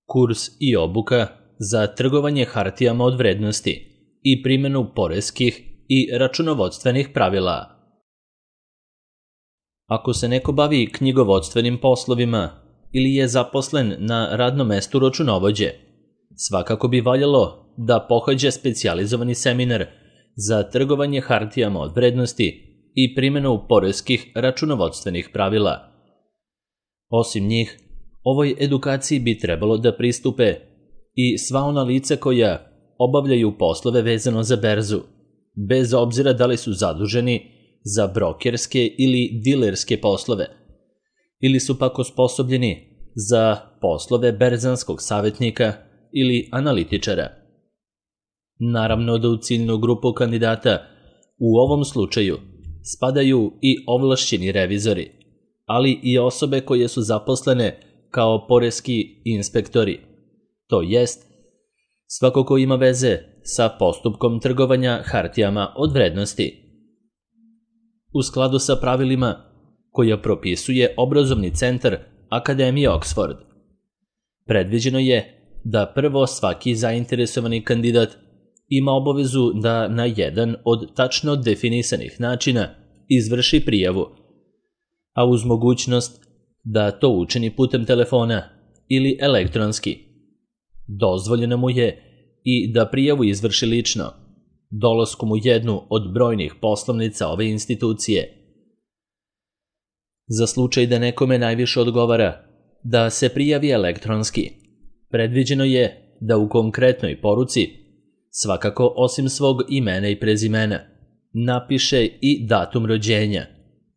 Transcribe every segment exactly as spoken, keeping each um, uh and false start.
kurs i obuka za trgovanje hartijama od vrednosti i primjenu poreskih i računovodstvenih pravila. Ako se neko bavi knjigovodstvenim poslovima ili je zaposlen na radnom mestu računovođe, svakako bi valjalo da pohađa specijalizovani seminar za trgovanje hartijama od vrednosti i primjenu poreskih računovodstvenih pravila. Osim njih, ovoj edukaciji bi trebalo da pristupe i sva ona lica koja obavljaju poslove vezano za berzu, bez obzira da li su zaduženi za brokerske ili dilerske poslove, ili su pak osposobljeni za poslove berzanskog savjetnika ili analitičara. Naravno da u ciljnu grupu kandidata u ovom slučaju spadaju i ovlašćeni revizori, ali i osobe koje su zaposlene kao poreski inspektori, to jest svako ko ima veze sa postupkom trgovanja hartijama od vrednosti. U skladu sa pravilima koja propisuje obrazovni centar Akademije Oxford, predviđeno je da prvo svaki zainteresovani kandidat ima obavezu da na jedan od tačno definisanih načina izvrši prijavu, a uz mogućnost da to učini putem telefona ili elektronski. Dozvoljeno mu je i da prijavu izvrši lično, dolaskom u jednu od brojnih poslovnica ove institucije. Za slučaj da nekome najviše odgovara da se prijavi elektronski, predviđeno je da u konkretnoj poruci, svakako osim svog imena i prezimena, napiše i datum rođenja,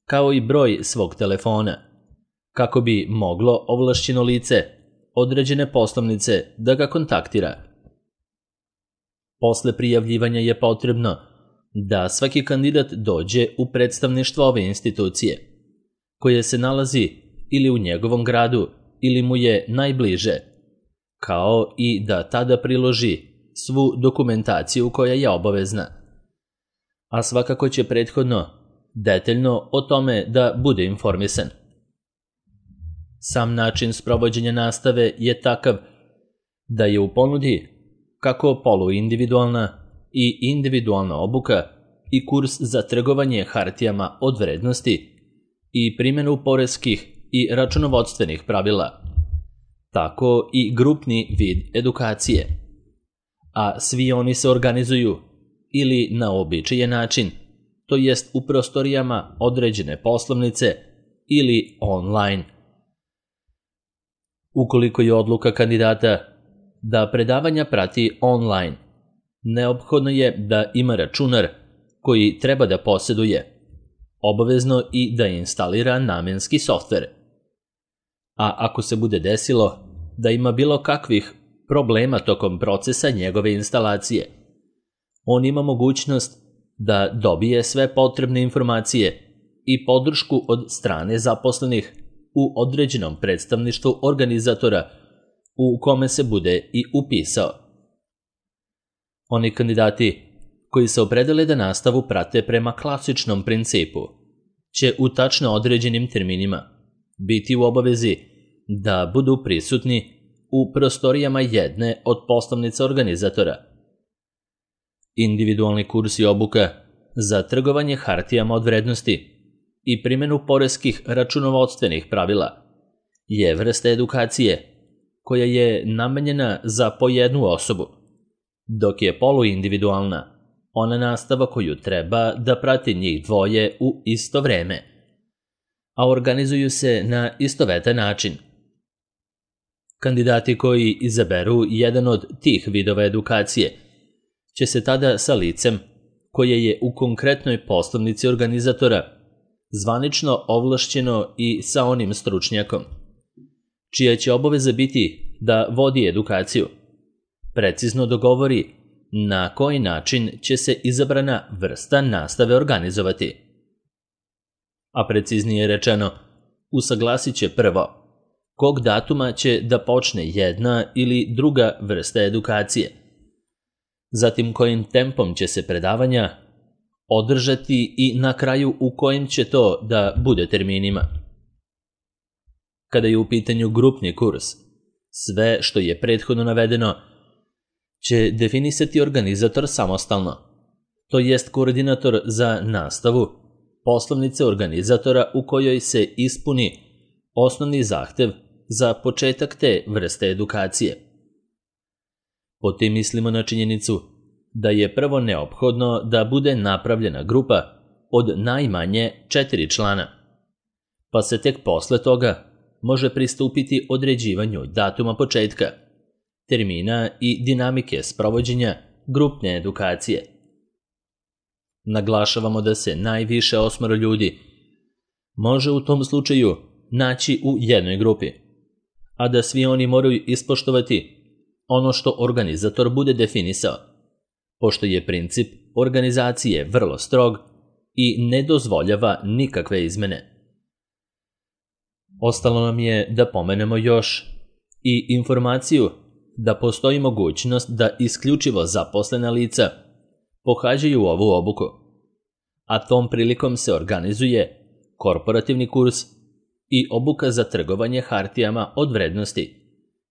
kao i broj svog telefona, kako bi moglo ovlašćeno lice određene poslovnice da ga kontaktira. Posle prijavljivanja je potrebno da svaki kandidat dođe u predstavništvo ove institucije, koje se nalazi ili u njegovom gradu ili mu je najbliže, kao i da tada priloži svu dokumentaciju koja je obavezna. A svakako će prethodno detaljno o tome da bude informisan. Sam način sprovođenja nastave je takav da je u ponudi kako poluindividualna i individualna obuka i kurs za trgovanje hartijama od vrednosti i primjenu poreskih i računovodstvenih pravila, tako i grupni vid edukacije. A svi oni se organizuju ili na uobičajen način, to jest u prostorijama određene poslovnice ili online. Ukoliko je odluka kandidata da predavanja prati online, neophodno je da ima računar koji treba da posjeduje, obavezno i da instalira namenski softver. A ako se bude desilo da ima bilo kakvih problema tokom procesa njegove instalacije, on ima mogućnost da dobije sve potrebne informacije i podršku od strane zaposlenih u određenom predstavništvu organizatora u kome se bude i upisao. Oni kandidati koji se opredele da nastavu prate prema klasičnom principu će u tačno određenim terminima biti u obavezi da budu prisutni u prostorijama jedne od poslovnica organizatora. Individualni kurs i obuka za trgovanje hartijama od vrednosti i primjenu poreskih računovodstvenih pravila je vrsta edukacije koja je namenjena za po jednu osobu, dok je poluindividualna ona nastava koju treba da prati njih dvoje u isto vreme, a organizuju se na istovetan način. Kandidati koji izaberu jedan od tih vidova edukacije će se tada sa licem koje je u konkretnoj poslovnici organizatora zvanično ovlašćeno i sa onim stručnjakom, čija će obaveza biti da vodi edukaciju, precizno dogovori na koji način će se izabrana vrsta nastave organizovati. A preciznije rečeno, usaglasit će prvo kog datuma će da počne jedna ili druga vrsta edukacije, zatim kojim tempom će se predavanja održati i na kraju u kojim će to da bude terminima. Kada je u pitanju grupni kurs, Sve što je prethodno navedeno će definisati organizator samostalno, to jest koordinator za nastavu poslovnice organizatora u kojoj se ispuni osnovni zahtev za početak te vrste edukacije. Po tim mislimo na činjenicu da je prvo neophodno da bude napravljena grupa od najmanje četiri člana, pa se tek posle toga može pristupiti određivanju datuma početka, termina i dinamike sprovođenja grupne edukacije. Naglašavamo da se najviše osmoro ljudi može u tom slučaju naći u jednoj grupi, a da svi oni moraju ispoštovati ono što organizator bude definisao, pošto je princip organizacije vrlo strog i ne dozvoljava nikakve izmene. Ostalo nam je da pomenemo još i informaciju da postoji mogućnost da isključivo zaposlena lica pohađaju ovu obuku, a tom prilikom se organizuje korporativni kurs i obuka za trgovanje hartijama od vrednosti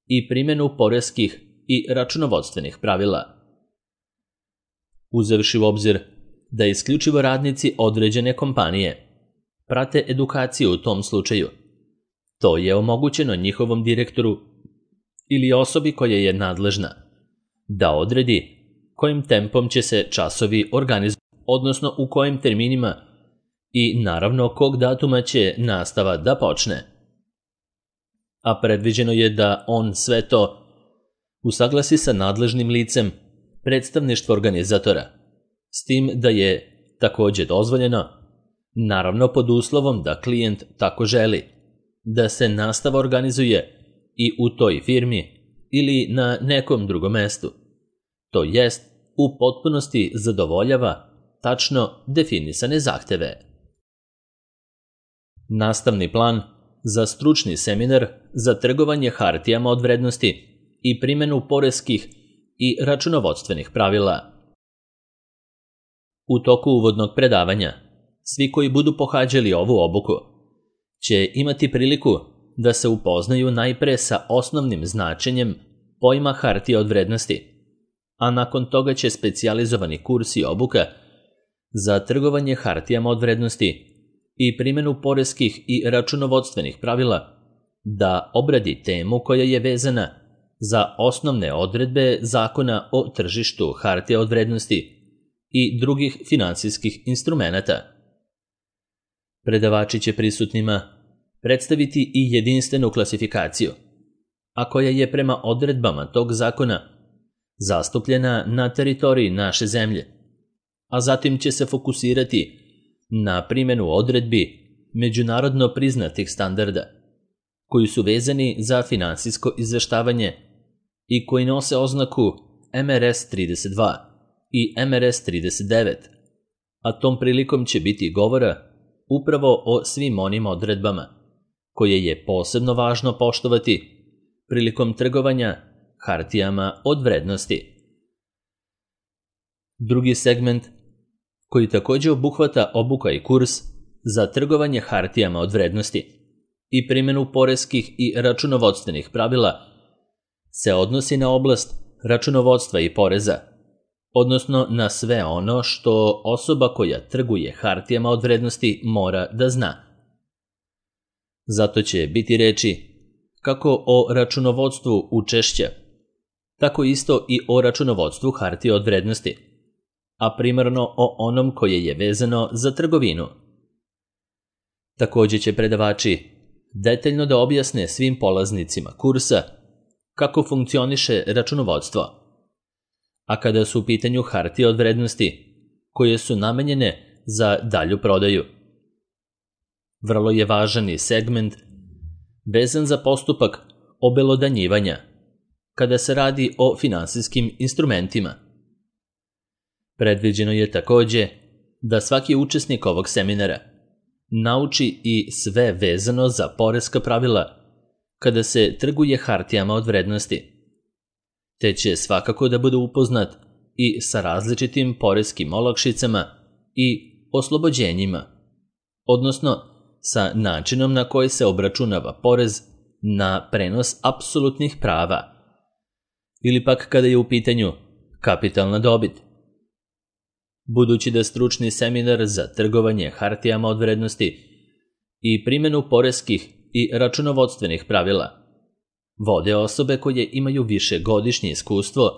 i primjenu poreskih i računovodstvenih pravila. Uzevši u obzir da isključivo radnici određene kompanije prate edukaciju u tom slučaju, to je omogućeno njihovom direktoru ili osobi koja je nadležna da odredi kojim tempom će se časovi organizovati, odnosno u kojim terminima i naravno kog datuma će nastava da počne. A predviđeno je da on sve to usaglasi sa nadležnim licem predstavništva organizatora, s tim da je također dozvoljeno, naravno pod uslovom da klijent tako želi, da se nastava organizuje i u toj firmi ili na nekom drugom mestu, to jest u potpunosti zadovoljava tačno definisane zahteve. Nastavni plan za stručni seminar za trgovanje hartijama od vrednosti i primjenu poreskih i računovodstvenih pravila. U toku uvodnog predavanja, svi koji budu pohađali ovu obuku će imati priliku da se upoznaju najpre sa osnovnim značenjem pojma hartije od vrednosti, a nakon toga će specijalizovani kurs i obuka za trgovanje hartijama od vrednosti i primjenu poreskih i računovodstvenih pravila da obradi temu koja je vezana za osnovne odredbe Zakona o tržištu hartija od vrednosti i drugih finansijskih instrumenata. Predavači će prisutnima predstaviti i jedinstvenu klasifikaciju, a koja je prema odredbama tog zakona zastupljena na teritoriji naše zemlje, a zatim će se fokusirati na primjenu odredbi međunarodno priznatih standarda, koji su vezani za finansijsko izveštavanje i koji nose oznaku M R S trideset dva i M R S trideset devet, a tom prilikom će biti govora upravo o svim onim odredbama koje je posebno važno poštovati prilikom trgovanja hartijama od vrednosti. Drugi segment, koji također obuhvata obuka i kurs za trgovanje hartijama od vrednosti i primjenu poreskih i računovodstvenih pravila, se odnosi na oblast računovodstva i poreza, odnosno na sve ono što osoba koja trguje hartijama od vrednosti mora da zna. Zato će biti reči kako o računovodstvu učešća, tako isto i o računovodstvu hartija od vrednosti, a primarno o onom koje je vezano za trgovinu. Također će predavači detaljno da objasne svim polaznicima kursa kako funkcioniše računovodstvo, a kada su u pitanju hartije od vrednosti koje su namenjene za dalju prodaju. Vrlo je važan i segment vezan za postupak obelodanjivanja kada se radi o finansijskim instrumentima. Predviđeno je također da svaki učesnik ovog seminara nauči i sve vezano za poreska pravila kada se trguje hartijama od vrednosti, te će svakako da bude upoznat i sa različitim poreskim olakšicama i oslobođenjima, odnosno sa načinom na koji se obračunava porez na prenos apsolutnih prava, ili pak kada je u pitanju kapitalna dobit. Budući da stručni seminar za trgovanje hartijama od vrednosti i primjenu poreskih i računovodstvenih pravila vode osobe koje imaju višegodišnje iskustvo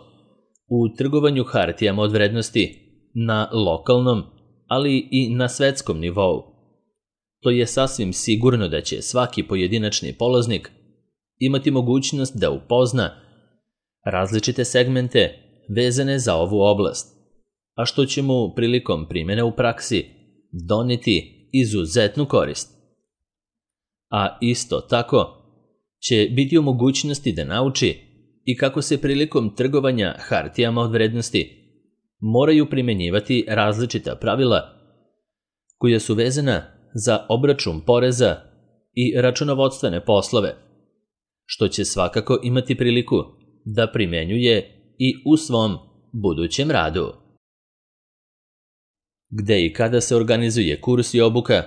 u trgovanju hartijama od vrednosti na lokalnom, ali i na svetskom nivou, to je sasvim sigurno da će svaki pojedinačni polaznik imati mogućnost da upozna različite segmente vezane za ovu oblast, a što će mu prilikom primjene u praksi doneti izuzetnu korist. A isto tako će biti u mogućnosti da nauči i kako se prilikom trgovanja hartijama od vrednosti moraju primjenjivati različita pravila koja su vezana za obračun poreza i računovodstvene poslove, što će svakako imati priliku da primjenjuje i u svom budućem radu. Gde i kada se organizuje kurs i obuka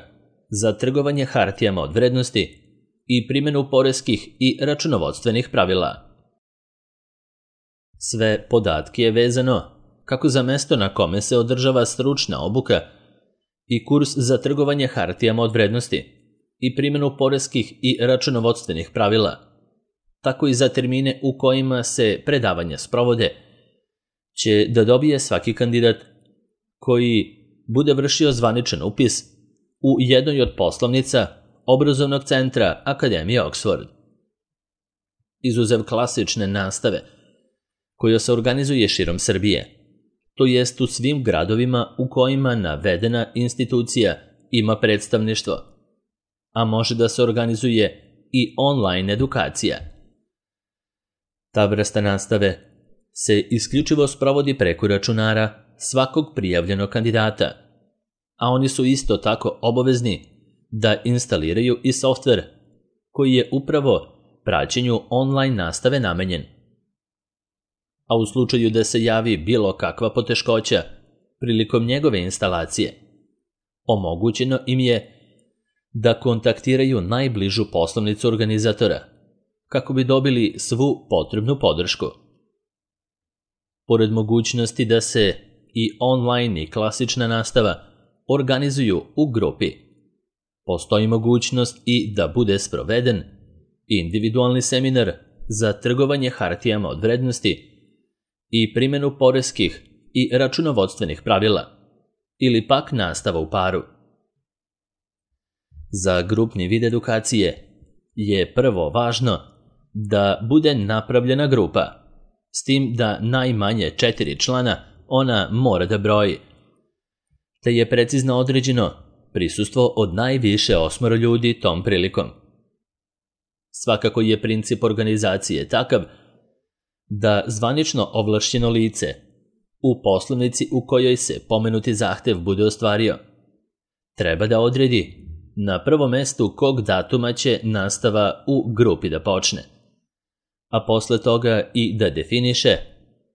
za trgovanje hartijama od vrednosti i primjenu poreskih i računovodstvenih pravila. Sve podatke je vezano kako za mesto na kome se održava stručna obuka i kurs za trgovanje hartijama od vrednosti i primjenu poreskih i računovodstvenih pravila, tako i za termine u kojima se predavanja sprovode, će da dobije svaki kandidat koji bude vršio zvaničan upis u jednoj od poslovnica obrazovnog centra Akademije Oxford. Izuzev klasične nastave, koja se organizuje širom Srbije, to jest u svim gradovima u kojima navedena institucija ima predstavništvo, a može da se organizuje i online edukacija. Ta vrsta nastave se isključivo sprovodi preko računara svakog prijavljenog kandidata, a oni su isto tako obavezni da instaliraju i softver koji je upravo praćenju online nastave namenjen. A u slučaju da se javi bilo kakva poteškoća prilikom njegove instalacije, omogućeno im je da kontaktiraju najbližu poslovnicu organizatora kako bi dobili svu potrebnu podršku. Pored mogućnosti da se i online i klasična nastava organizuju u grupi, postoji mogućnost i da bude sproveden individualni seminar za trgovanje hartijama od vrednosti i primjenu poreskih i računovodstvenih pravila, ili pak nastava u paru. Za grupni vid edukacije je prvo važno da bude napravljena grupa, s tim da najmanje četiri člana ona mora da broji, te je precizno određeno prisustvo od najviše osmoro ljudi tom prilikom. Svakako je princip organizacije takav da zvanično ovlašćeno lice u poslovnici u kojoj se pomenuti zahtev bude ostvario treba da odredi na prvom mestu kog datuma će nastava u grupi da počne, a posle toga i da definiše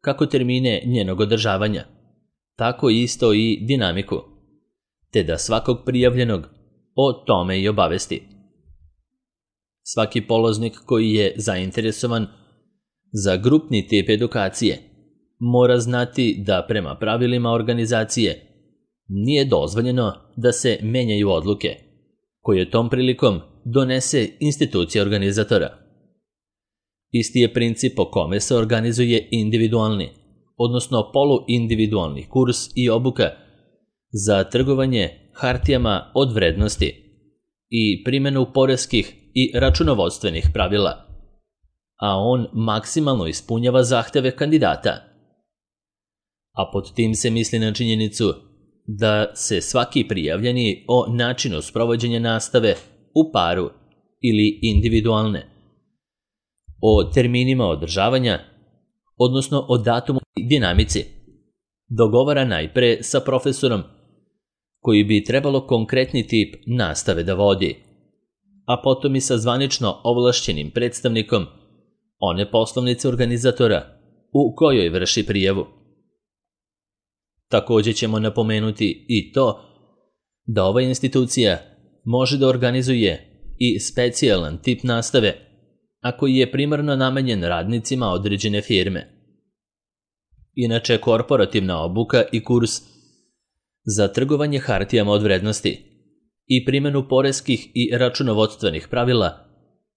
kako termine njenog održavanja, tako isto i dinamiku, te da svakog prijavljenog o tome i obavesti. Svaki polaznik koji je zainteresovan za grupni tip edukacije mora znati da prema pravilima organizacije nije dozvoljeno da se menjaju odluke koje tom prilikom donese institucija organizatora. Isti je princip po kome se organizuje individualni, odnosno poluindividualni kurs i obuka za trgovanje hartijama od vrednosti i primjenu poreskih i računovodstvenih pravila, a on maksimalno ispunjava zahteve kandidata. A pod tim se misli na činjenicu da se svaki prijavljeni o načinu sprovođenja nastave u paru ili individualne, o terminima održavanja, odnosno o datumu i dinamici, dogovara najpre sa profesorom koji bi trebalo konkretni tip nastave da vodi, a potom i sa zvanično ovlašćenim predstavnikom one poslovnice organizatora u kojoj vrši prijavu. Također ćemo napomenuti i to da ova institucija može da organizuje i specijalan tip nastave a koji je primarno namenjen radnicima određene firme. Inače, korporativna obuka i kurs za trgovanje hartijama od vrednosti i primjenu poreskih i računovodstvenih pravila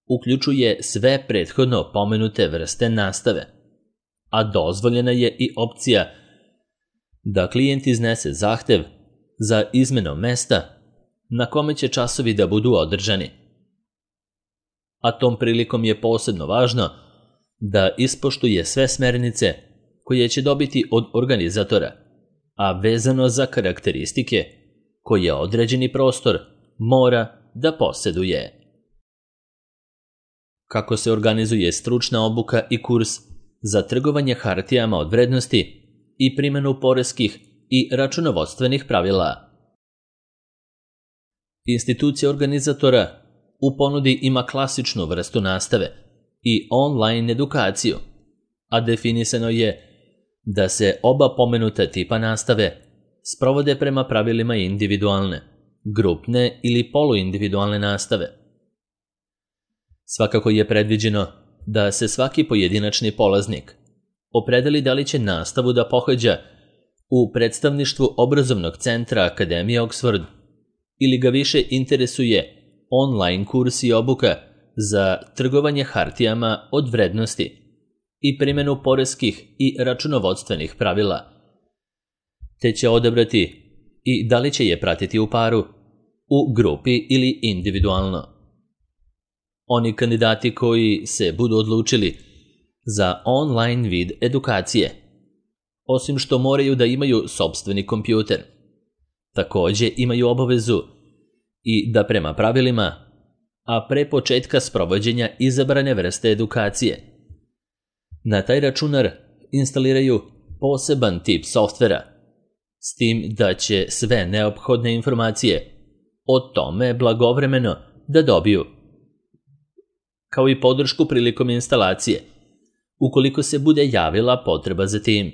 uključuje sve prethodno pomenute vrste nastave, a dozvoljena je i opcija da klijent iznese zahtev za izmenom mesta na kome će časovi da budu održani. A tom prilikom je posebno važno da ispoštuje sve smernice koje će dobiti od organizatora, a vezano za karakteristike koje određeni prostor mora da posjeduje. Kako se organizuje stručna obuka i kurs za trgovanje hartijama od vrednosti i primjenu poreskih i računovodstvenih pravila? Institucija organizatora u ponudi ima klasičnu vrstu nastave i online edukaciju, a definisano je da se oba pomenuta tipa nastave sprovode prema pravilima individualne, grupne ili poluindividualne nastave. Svakako je predviđeno da se svaki pojedinačni polaznik opredeli da li će nastavu da pohađa u predstavništvu obrazovnog centra Akademije Oxford ili ga više interesuje online kurs i obuka za trgovanje hartijama od vrednosti i primjenu poreskih i računovodstvenih pravila, te će odabrati i da li će je pratiti u paru, u grupi ili individualno. Oni kandidati koji se budu odlučili za online vid edukacije, osim što moraju da imaju sopstveni kompjuter, također imaju obavezu i da prema pravilima, a pre početka sprovođenja izabrane vrste edukacije, na taj računar instaliraju poseban tip softvera, s tim da će sve neophodne informacije o tome blagovremeno da dobiju, kao i podršku prilikom instalacije, ukoliko se bude javila potreba za tim.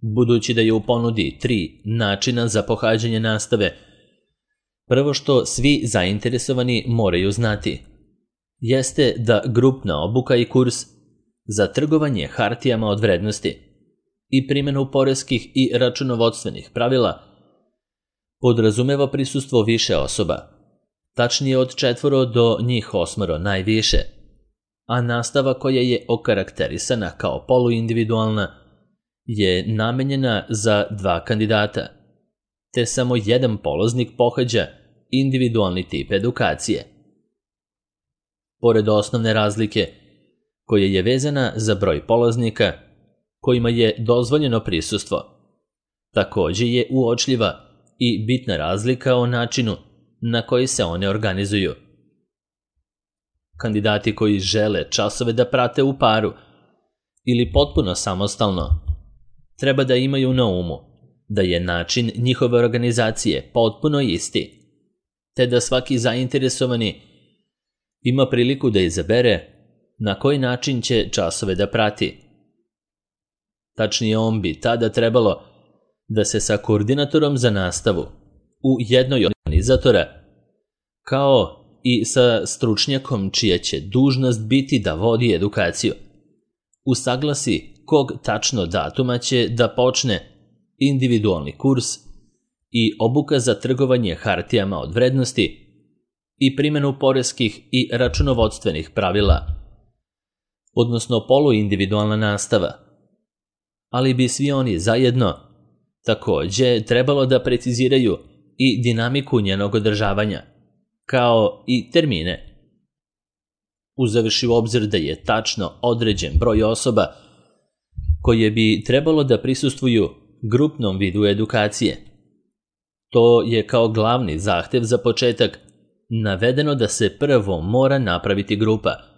Budući da je u ponudi tri načina za pohađanje nastave, prvo što svi zainteresovani moraju znati jeste da grupna obuka i kurs za trgovanje hartijama od vrednosti i primjenu poreskih i računovodstvenih pravila podrazumeva prisustvo više osoba, tačnije od četvoro do njih osmoro najviše, a nastava koja je okarakterisana kao poluindividualna je namenjena za dva kandidata, te samo jedan polaznik pohađa individualni tip edukacije. Pored osnovne razlike, koja je vezana za broj polaznika kojima je dozvoljeno prisustvo, također je uočljiva i bitna razlika o načinu na koji se one organizuju. Kandidati koji žele časove da prate u paru ili potpuno samostalno, treba da imaju na umu da je način njihove organizacije potpuno isti, te da svaki zainteresovani ima priliku da izabere na koji način će časove da prati. Tačnije, on bi tada trebalo da se sa koordinatorom za nastavu u jednoj od organizatora, kao i sa stručnjakom čija će dužnost biti da vodi edukaciju, usaglasi kog tačno datuma će da počne individualni kurs i obuka za trgovanje hartijama od vrednosti i primjenu poreskih i računovodstvenih pravila, odnosno poluindividualna nastava, ali bi svi oni zajedno također trebalo da preciziraju i dinamiku njenog održavanja, kao i termine. Uzevši u obzir da je tačno određen broj osoba koje bi trebalo da prisustvuju grupnom vidu edukacije. To je kao glavni zahtev za početak navedeno da se prvo mora napraviti grupa,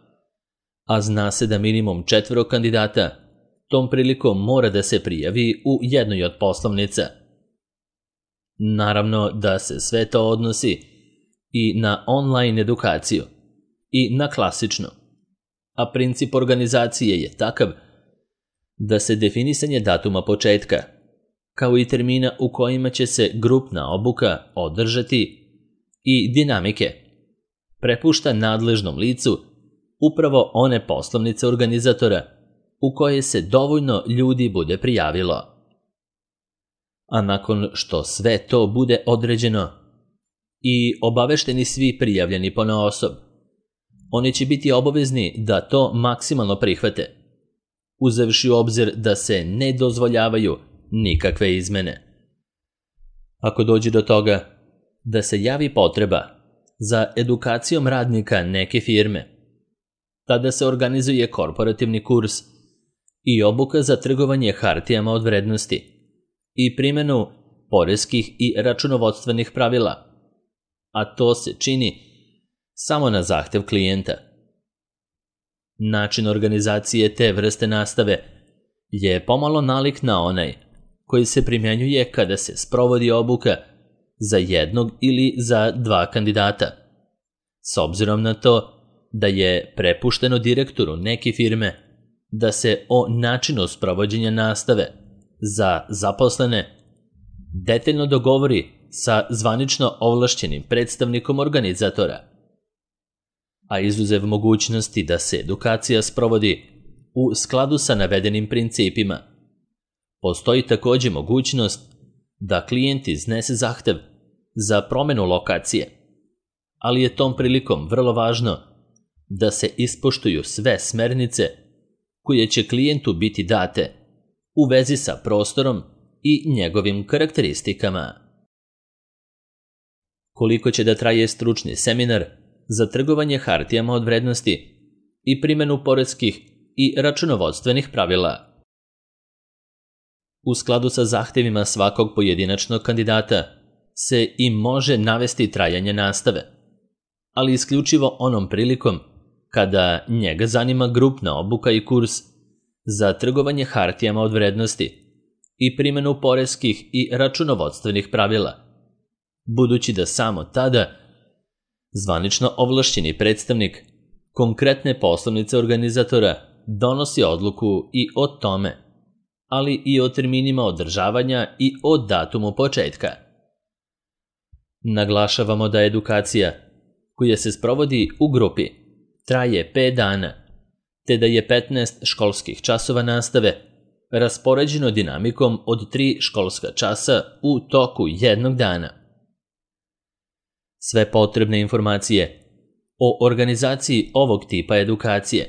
a zna se da minimum četvoro kandidata tom prilikom mora da se prijavi u jednoj od poslovnica. Naravno da se sve to odnosi i na online edukaciju i na klasičnu, a princip organizacije je takav da se definisanje datuma početka, kao i termina u kojima će se grupna obuka održati i dinamike, prepušta nadležnom licu upravo one poslovnice organizatora u koje se dovoljno ljudi bude prijavilo. A nakon što sve to bude određeno i obavešteni svi prijavljeni ponaosob, oni će biti obavezni da to maksimalno prihvate, uzevši u obzir da se ne dozvoljavaju nikakve izmene. Ako dođe do toga da se javi potreba za edukacijom radnika neke firme, tada se organizuje korporativni kurs i obuka za trgovanje hartijama od vrednosti i primjenu poreskih i računovodstvenih pravila, a to se čini samo na zahtev klijenta. Način organizacije te vrste nastave je pomalo nalik na onaj koji se primjenjuje kada se sprovodi obuka za jednog ili za dva kandidata, s obzirom na to da je prepušteno direktoru neke firme da se o načinu sprovođenja nastave za zaposlene detaljno dogovori sa zvanično ovlašćenim predstavnikom organizatora. A izuzev mogućnosti da se edukacija sprovodi u skladu sa navedenim principima, postoji također mogućnost da klijent iznese zahtev za promjenu lokacije, ali je tom prilikom vrlo važno da se ispoštuju sve smernice koje će klijentu biti date u vezi sa prostorom i njegovim karakteristikama. Koliko će da traje stručni seminar za trgovanje hartijama od vrednosti i primjenu poreskih i računovodstvenih pravila? U skladu sa zahtevima svakog pojedinačnog kandidata se i može navesti trajanje nastave, ali isključivo onom prilikom kada njega zanima grupna obuka i kurs za trgovanje hartijama od vrednosti i primjenu poreskih i računovodstvenih pravila, budući da samo tada zvanično ovlašćeni predstavnik konkretne poslovnice organizatora donosi odluku i o tome, ali i o terminima održavanja i o datumu početka. Naglašavamo da edukacija koja se sprovodi u grupi traje pet dana, te da je petnaest školskih časova nastave raspoređeno dinamikom od tri školska časa u toku jednog dana. Sve potrebne informacije o organizaciji ovog tipa edukacije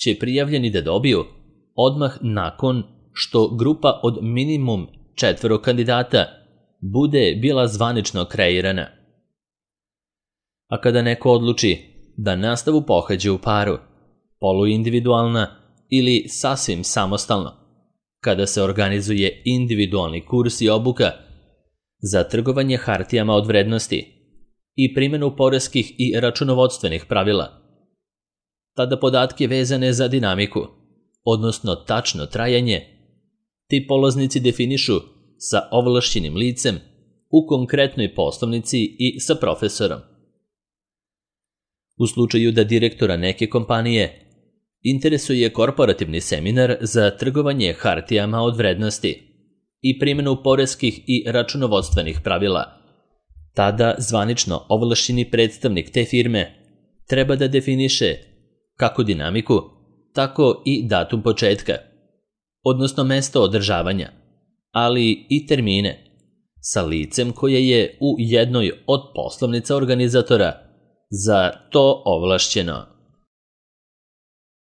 će prijavljeni da dobiju odmah nakon što grupa od minimum četvero kandidata bude bila zvanično kreirana. A kada neko odluči da nastavu pohađa u paru, poluindividualna ili sasvim samostalno, kada se organizuje individualni kurs i obuka za trgovanje hartijama od vrednosti i primjenu poreskih i računovodstvenih pravila, tada podatke vezane za dinamiku, odnosno tačno trajanje, ti polaznici definišu sa ovlašćenim licem u konkretnoj poslovnici i sa profesorom. U slučaju da direktora neke kompanije interesuje korporativni seminar za trgovanje hartijama od vrednosti i primjenu poreskih i računovodstvenih pravila, tada zvanično ovlašćeni predstavnik te firme treba da definiše kako dinamiku, tako i datum početka, odnosno mesto održavanja, ali i termine, sa licem koje je u jednoj od poslovnica organizatora za to ovlašćeno.